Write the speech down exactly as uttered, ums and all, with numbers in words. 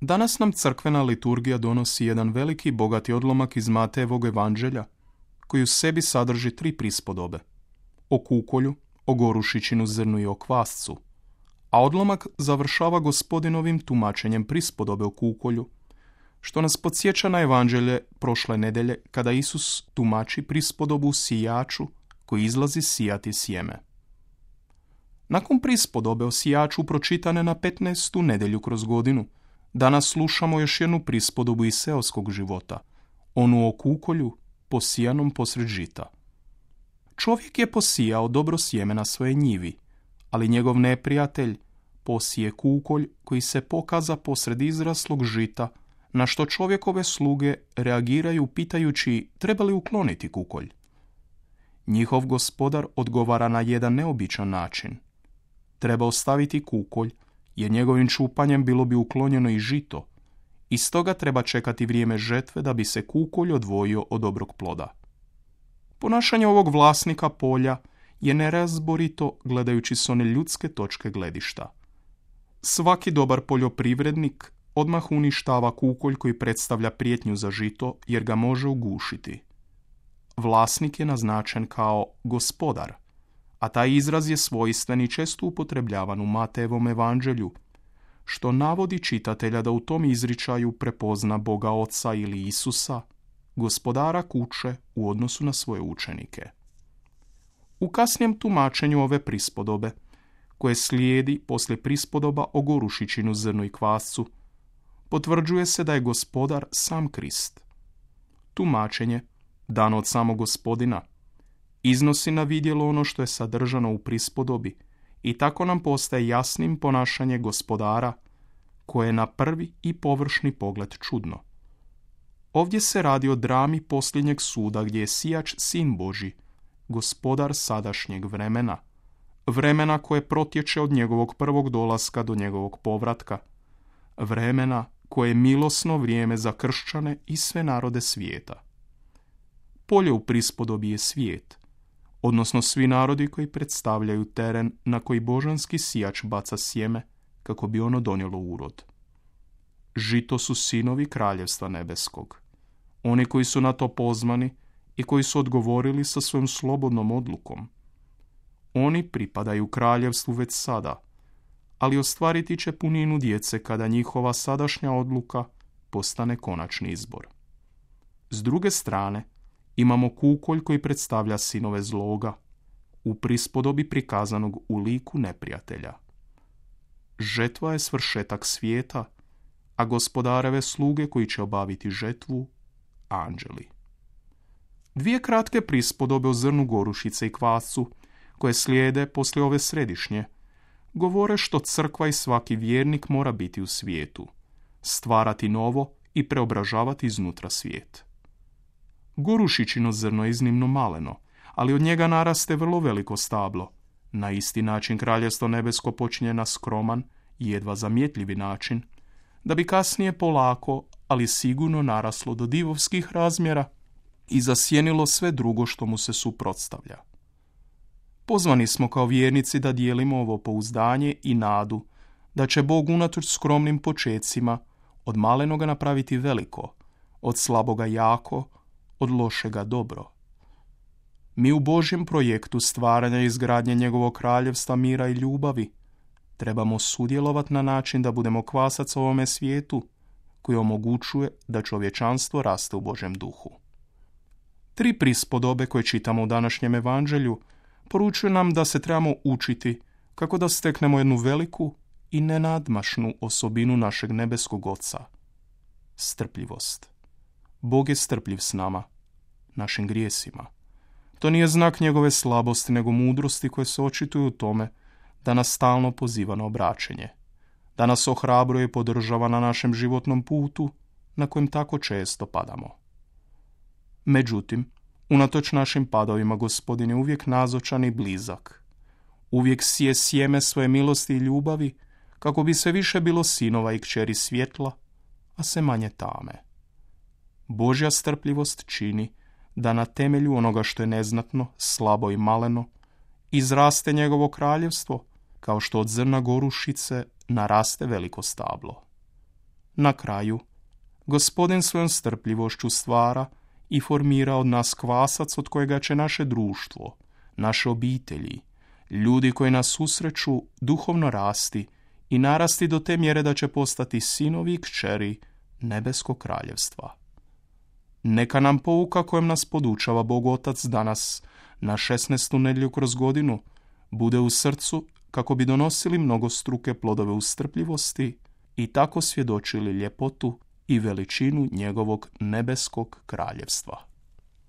Danas nam crkvena liturgija donosi jedan veliki bogati odlomak iz Matejevog evanđelja, koji u sebi sadrži tri prispodobe. O kukolju, o gorušičinu zrnu i o kvascu. A odlomak završava Gospodinovim tumačenjem prispodobe o kukolju, što nas podsjeća na evanđelje prošle nedelje kada Isus tumači prispodobu sijaču koji izlazi sijati sjeme. Nakon prispodobe o sijaču pročitane na petnaestu nedjelju kroz godinu, danas slušamo još jednu prispodobu iz seoskog života, onu o kukolju posijanom posred žita. Čovjek je posijao dobro sjeme na svoje njivi, ali njegov neprijatelj posije kukolj koji se pokaza posred izraslog žita, na što čovjekove sluge reagiraju pitajući treba li ukloniti kukolj. Njihov gospodar odgovara na jedan neobičan način. Treba ostaviti kukolj, jer njegovim čupanjem bilo bi uklonjeno i žito, i stoga treba čekati vrijeme žetve da bi se kukolj odvojio od dobrog ploda. Ponašanje ovog vlasnika polja je nerazborito gledajući s one ljudske točke gledišta. Svaki dobar poljoprivrednik odmah uništava kukolj koji predstavlja prijetnju za žito jer ga može ugušiti. Vlasnik je naznačen kao gospodar, a taj izraz je svojstven i često upotrebljavan u Matejevom evanđelju, što navodi čitatelja da u tom izričaju prepozna Boga Oca ili Isusa, gospodara kuće u odnosu na svoje učenike. U kasnijem tumačenju ove prispodobe, koje slijedi poslije prispodoba o gorušičinu, zrnu i kvascu, potvrđuje se da je gospodar sam Krist. Tumačenje, dano od samog Gospodina, iznosi na vidjelo ono što je sadržano u prispodobi i tako nam postaje jasnim ponašanje gospodara, koje je na prvi i površni pogled čudno. Ovdje se radi o drami posljednjeg suda gdje je sijač sin Božji, gospodar sadašnjeg vremena, vremena koje protječe od njegovog prvog dolaska do njegovog povratka, vremena koje je milosno vrijeme za kršćane i sve narode svijeta. Polje u prispodobi je svijet, odnosno svi narodi koji predstavljaju teren na koji božanski sijač baca sjeme kako bi ono donijelo urod. Žito su sinovi kraljevstva nebeskog, oni koji su na to pozvani i koji su odgovorili sa svojom slobodnom odlukom. Oni pripadaju kraljevstvu već sada, ali ostvariti će puninu djece kada njihova sadašnja odluka postane konačni izbor. S druge strane, imamo kukolj koji predstavlja sinove zloga, u prispodobi prikazanog u liku neprijatelja. Žetva je svršetak svijeta, a gospodareve sluge koji će obaviti žetvu, anđeli. Dvije kratke prispodobe o zrnu gorušice i kvascu, koje slijede poslije ove središnje, govore što crkva i svaki vjernik mora biti u svijetu, stvarati novo i preobražavati iznutra svijet. Gorušičino zrno je iznimno maleno, ali od njega naraste vrlo veliko stablo. Na isti način kraljevstvo nebesko počinje na skroman i jedva zamjetljivi način, da bi kasnije polako, ali sigurno naraslo do divovskih razmjera i zasjenilo sve drugo što mu se suprotstavlja. Pozvani smo kao vjernici da dijelimo ovo pouzdanje i nadu da će Bog unatoč skromnim počecima od malenoga napraviti veliko, od slaboga jako, od lošega dobro. Mi u Božjem projektu stvaranja i izgradnje njegovog kraljevstva mira i ljubavi trebamo sudjelovati na način da budemo kvasac ovome svijetu koji omogućuje da čovječanstvo raste u Božjem duhu. Tri prispodobe koje čitamo u današnjem evanđelju poručuju nam da se trebamo učiti kako da steknemo jednu veliku i nenadmašnu osobinu našeg nebeskog Oca. Strpljivost. Bog je strpljiv s nama, našim grijesima. To nije znak njegove slabosti, nego mudrosti koje se očituju u tome da nas stalno poziva na obraćenje, da nas ohrabruje i podržava na našem životnom putu na kojem tako često padamo. Međutim, unatoč našim padovima, Gospodin je uvijek nazočan i blizak. Uvijek sije sjeme svoje milosti i ljubavi, kako bi sve više bilo sinova i kćeri svjetla, a sve manje tame. Božja strpljivost čini da na temelju onoga što je neznatno, slabo i maleno, izraste njegovo kraljevstvo, kao što od zrna gorušice naraste veliko stablo. Na kraju, Gospodin svojom strpljivošću stvara i formira od nas kvasac od kojega će naše društvo, naše obitelji, ljudi koji nas susreću duhovno rasti i narasti do te mjere da će postati sinovi i kćeri nebeskog kraljevstva. Neka nam pouka kojom nas podučava Bog Otac danas, na šesnaestu nedjelju kroz godinu, bude u srcu kako bi donosili mnogostruke plodove u strpljivosti i tako svjedočili ljepotu i veličinu njegovog nebeskog kraljevstva.